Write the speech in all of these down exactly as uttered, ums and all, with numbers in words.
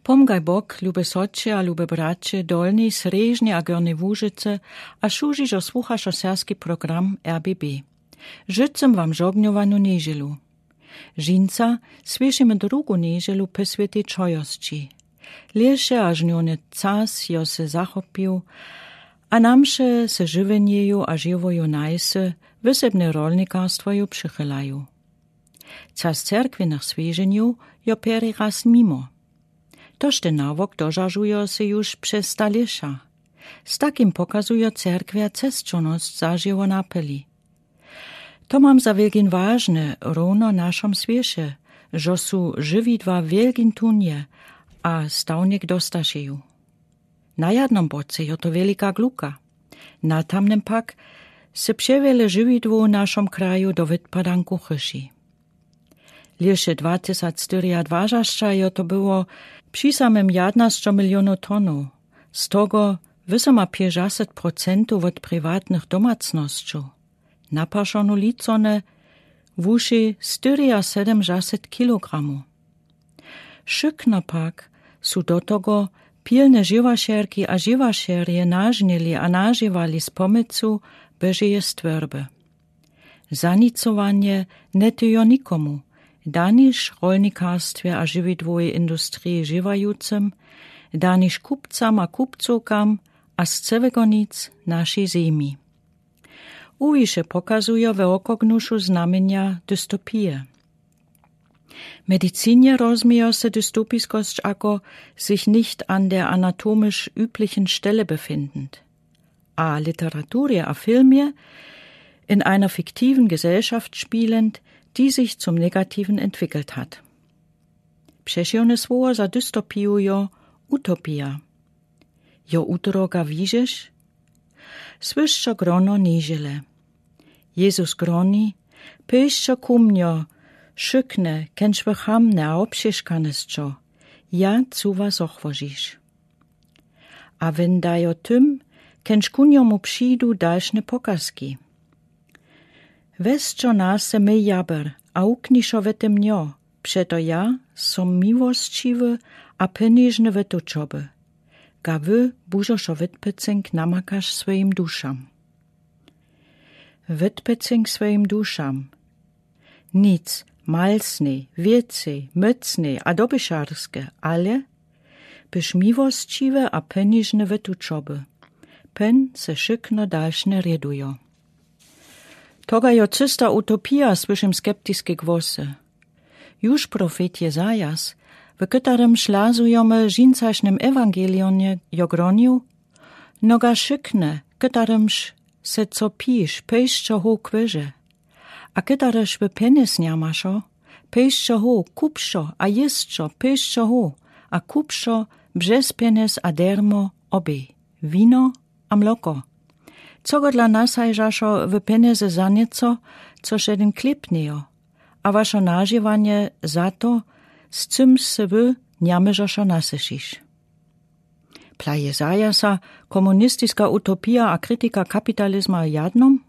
Pomgaj Bóg, lube sotře a lube bratře, Dolnej, Srježnej a Górnej Łužicy, a wšuzy, zo słuchało serbski program R B B. Żëcym wam žognjowanu njedźelu. Dźinsa słyšimy drugu njedźelu pò swětej čojosći. Lěše a žnjórny czas jo se zachopił, a na msze se żywjenjeju a żywòju najsy, wysebne rolnikarstwoju přichylaju. Czas cerkwinych słěženjow jo pěri raz mimo. Toż ten nawok dožažujo se juž přez staléša. Z takim pokazujo cerkwja cesćownosć zažěło napeli. To mam za wjelkin wažne, równo našom swěše, zo su žiwidła wjelkin tunje a stawnik dostašeju. Na jadnom boce jo to wjelika gluka. Na tamnym pak se přewjele žiwidłow w našom kraju do wětpadanku chyši. Lěše dwa tysac štyriadwažasća jo to było při samym jadnašćo milionow tonow, z togo wysoma pěćdźaset procentow wot priwatnych domacnosćow. Na pašonu licone wuši štyriasedemdźaset kilogramow. Wšykno pak su do togo pilne žiwašerki a žiwašerje nažnili a nažiwali z pòmòcu Bòžeje stwórby. Zanicowanje njetyjo nikomu, daniž rolnikarstwje a žiwidłowej industriji žiwajucym, daniž kupcam a kupcowkam a z cełego nic našej zemi. Uwiše pokazujo we wokògnušu znamjenja dystopije. W medizinje rozmiejo se dystopiskosć ako sich nicht an der anatomisch üblichen Stelle befindend. A w literaturje a filmje in einer fiktiven Gesellschaft spielend, die sich zum Negativen entwickelt hat. Přećiwne słowo za dystopiju jo utopija. Jo utroka wižeš? Słyšćo grono njedźele. Jezus groni: Pejsćo ku mnjo, wšykne, kenž wy chamne a wobćežkane sćo, ja chcu was zochwožić. A wen dajo tym, kenž ku njomu přidu, dalšne pokazki: Wezćo na se mój jaber a wuknišo we te mnjo, přeto ja som miłosćiwy a penižny we tučoby, ga wy bužošo wetpecynk namakaš swojim dušam. Wetpecynk swojim dušam. Nic malsnej, wěcej, mòcnej a dobyšarske, ale byš miłosćiwy a penižny we tučoby. Pen se wšykno dalšne rjedujo. To ga jo čista utopija, słyšim skeptiske głosy. Juž profet Jezajas, w kotrymž lazujemy w dźinsašnjem ewangelijonje, jo gronił: Noga wšykne, kotrymž se co piš, pejsćo ho k wěže. A kotrzyż wy pjenjez njamašo, pejsćo ho, kupšo a jěsćo, pejsćo ho a kupšo břez pjenjez a dermo obej, wino a mloko. Cogodla nasajžašo wy pjenjezy za njeco, což jedyn chlěb njejo, a wašo nažiwanje za to, z cym se wy njamóžošo nasyšiš. Pla Jezajasa komunistiska utopija a kritika kapitalizma w jadnom?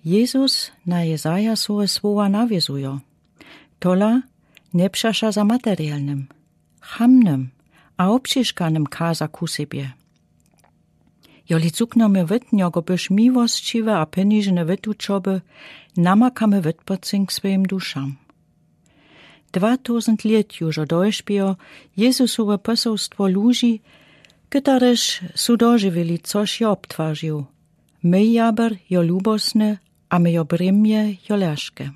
Jezus na Jezajasowe słowa nawězujo: Tola njepřaša za materielnym, chamnym a wobćežkanym kaza ku sebje. Joli cuknjemy wětnjo, go byš miłosćiwy a penižny we tučoby, namakamy wetpocynk swojim dušam. Dwa tuzent lět južo dołžbjo Jezusowe pòselstwo dłuži, kotrež su dožiwili, což je obtwarził. Mój jaber jo lubosny a mojo brěmje jo lehke.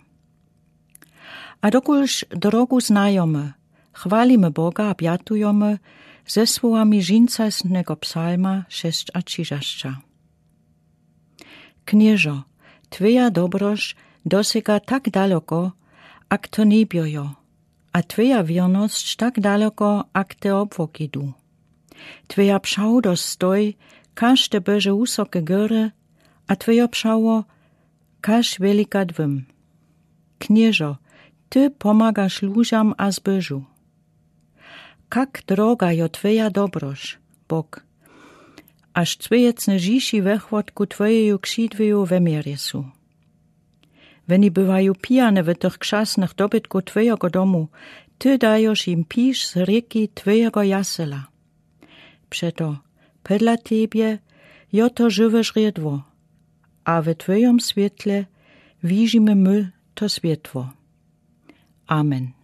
A dokelž drogu znajomy, chwalimy Boga a pjatujemy ze słowami dźinsašnjego psalma šesćatřidzesć. Knježo, twoja dobroć dosyga tak daloko, ak to njebjo jo, a twoja wěrnosć tak daloko, ak te obłoki du. Twoja przałdosć stoj kaž te bòże wusoke góry, a twojo prawo kaž wielika dwim. Knježo, ty pomagaš lužam a zbòžu. Kak droga jo twoja dobroć, Bóg, až cwějecne žiši wëchłodku twojeju křidłeju we mierje su. Woni bywają pijane w tych krzasnych dobytkach twojego domu, Ty dajosz jim pisz z rijki twojego jasela. Przeto podle tebie jo to żëwe żriedło, a we twojom swiétle widzimy my to swiétło. Amen.